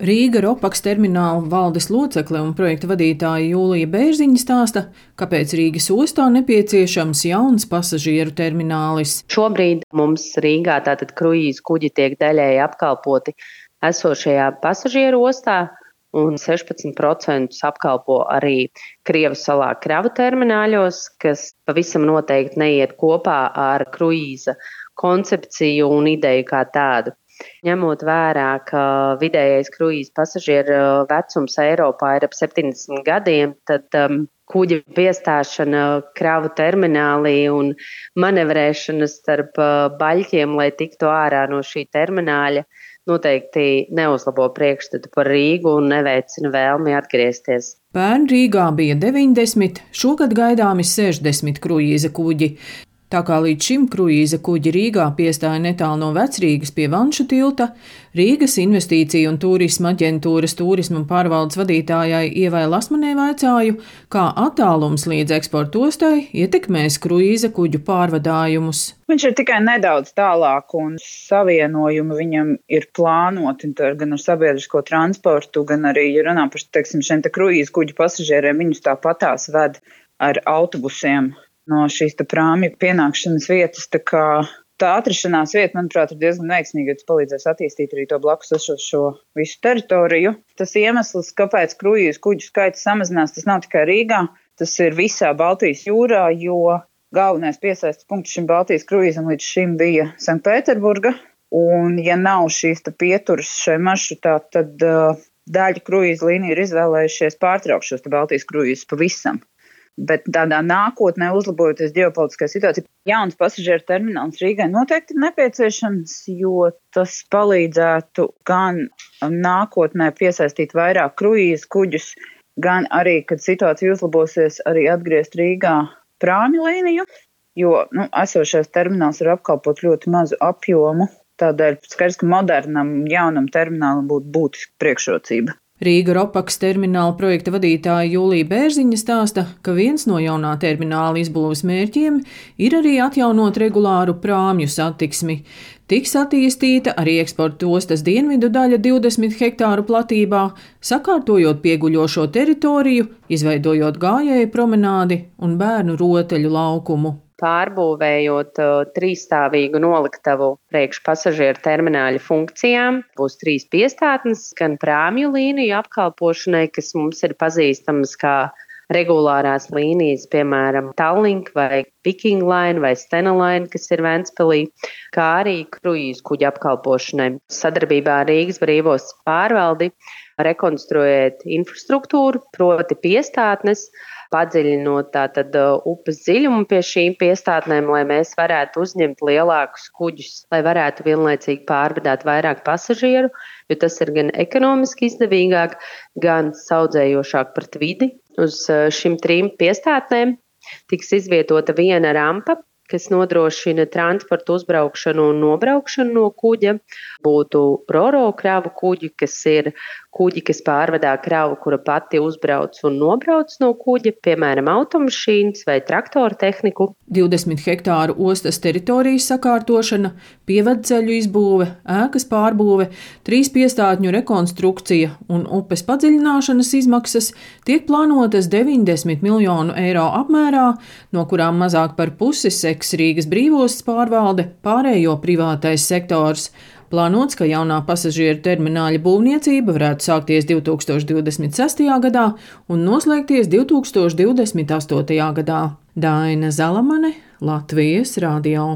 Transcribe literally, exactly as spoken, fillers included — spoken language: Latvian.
Rīga Ropaks termināla valdes locekle un projekta vadītāja Jūlija Bērziņa stāsta, kāpēc Rīgas ostā nepieciešams jauns pasažieru terminālis. Šobrīd mums Rīgā tātad kruīzu kuģi tiek daļēji apkalpoti esošajā pasažieru ostā, un sešpadsmit procentus apkalpo arī Krievijas salā kravu termināļos, kas pavisam noteikti neiet kopā ar kruīza koncepciju un ideju kā tādu. Ņemot vērā, ka vidējais kruīza pasažieru vecums Eiropā ir ap septiņdesmit gadiem, tad um, kuģa piestāšana kravu terminālī un manevrēšana starp uh, baļķiem, lai tiktu ārā no šī termināļa, noteikti neuzlabo priekšstatu par Rīgu un neveicina vēlmi atgriezties. Pērn Rīgā bija deviņdesmit, šogad gaidāmi sešdesmit kruīza kuģi. Tā kā līdz šim kruīza kuģi Rīgā piestāja netālu no Vecrīgas pie Vanšu tilta, Rīgas investīciju un turisma aģentūras turisma pārvaldes vadītājai Ievai Lasmanē vaicāju, kā attālums līdz eksporta ostai ietekmēs kruīza kuģu pārvadājumus. Viņš ir tikai nedaudz tālāk un savienojumi viņam ir plānoti gan ar sabiedrisko transportu, gan arī, ja runā par, teiksim, šiem te kruīza kuģu pasažieriem, viņus tāpatās ved ar autobusiem no šīs tā prāmju pienākšanas vietas, tā kā tā atrašanās vieta, manuprāt, ir diezgan veiksmīga, jo tas palīdzēs attīstīt arī to blakus esošo visu teritoriju. Tas iemesls, kāpēc kruīzu kuģu skaits samazinās, tas nav tikai Rīgā, tas ir visā Baltijas jūrā, jo galvenais piesaistes punkts šim Baltijas kruīzam līdz šim bija Sanktpēterburga, un ja nav šīs tā pieturas šai maršrutā, tad uh, daļa kruīza līnija ir izvēlējušies pārtraukt šos tā Baltijas kruīzus pavisam. Bet tādā nākotnē, uzlabojoties ģeopolitiskai situācijai, jauns pasažieru termināls Rīgai noteikti ir nepieciešams, jo tas palīdzētu gan nākotnē piesaistīt vairāk kruīzu kuģus, gan arī, kad situācija uzlabosies, arī atgriezt Rīgā prāmju līniju, jo nu, esošais termināls var apkalpot ļoti mazu apjomu, tādēļ skaidrs, ka modernam, jaunam terminālam būtu būtiska priekšrocība. Rīga Ropaks termināla projekta vadītāja Jūlija Bērziņa stāsta, ka viens no jaunā termināla izbūves mērķiem ir arī atjaunot regulāru prāmju satiksmi. Tiks attīstīta arī eksporta ostas dienvidu daļa divdesmit hektāru platībā, sakārtojot pieguļošo teritoriju, izveidojot gājēju promenādi un bērnu rotaļu laukumu. Pārbūvējot uh, trīsstāvīgu noliktavu priekš pasažieru termināļu funkcijām, būs trīs piestātnes, gan prāmju līniju apkalpošanai, kas mums ir pazīstamas kā regulārās līnijas, piemēram, Tallink vai Viking Line vai Stena Line, kas ir Ventspilī, kā arī kruīzu kuģu apkalpošanai. Sadarbībā ar Rīgas brīvos pārvaldi rekonstruēt infrastruktūru, proti piestātnes, padziļinot tātad upes dziļumu pie šīm piestātnēm, lai mēs varētu uzņemt lielākus kuģus, lai varētu vienlaicīgi pārvadāt vairāk pasažieru, jo tas ir gan ekonomiski izdevīgāk, gan saudzējošāk pret vidi. Uz šīm trim piestātnēm tiks izvietota viena rampa, kas nodrošina transportu uzbraukšanu un nobraukšanu no kuģa. Būtu roro kravu kuģi, kas ir kuģi, kas pārvadā kravu, kura pati uzbrauc un nobrauc no kuģa, piemēram, automašīnas vai traktoru tehniku. divdesmit hektāru ostas teritorijas sakārtošana, pievadceļu izbūve, ēkas pārbūve, trīs piestātņu rekonstrukcija un upes padziļināšanas izmaksas tiek plānotas deviņdesmit miljonu eiro apmērā, no kurām mazāk par pusi seks Rīgas brīvostas pārvalde, pārējo privātais sektors. Plānots, ka jaunā pasažieru termināļa būvniecība varētu sākties divi tūkstoši divdesmit sestajā gadā un noslēgties divi tūkstoši divdesmit astotajā gadā. Daina Zalamane, Latvijas radio.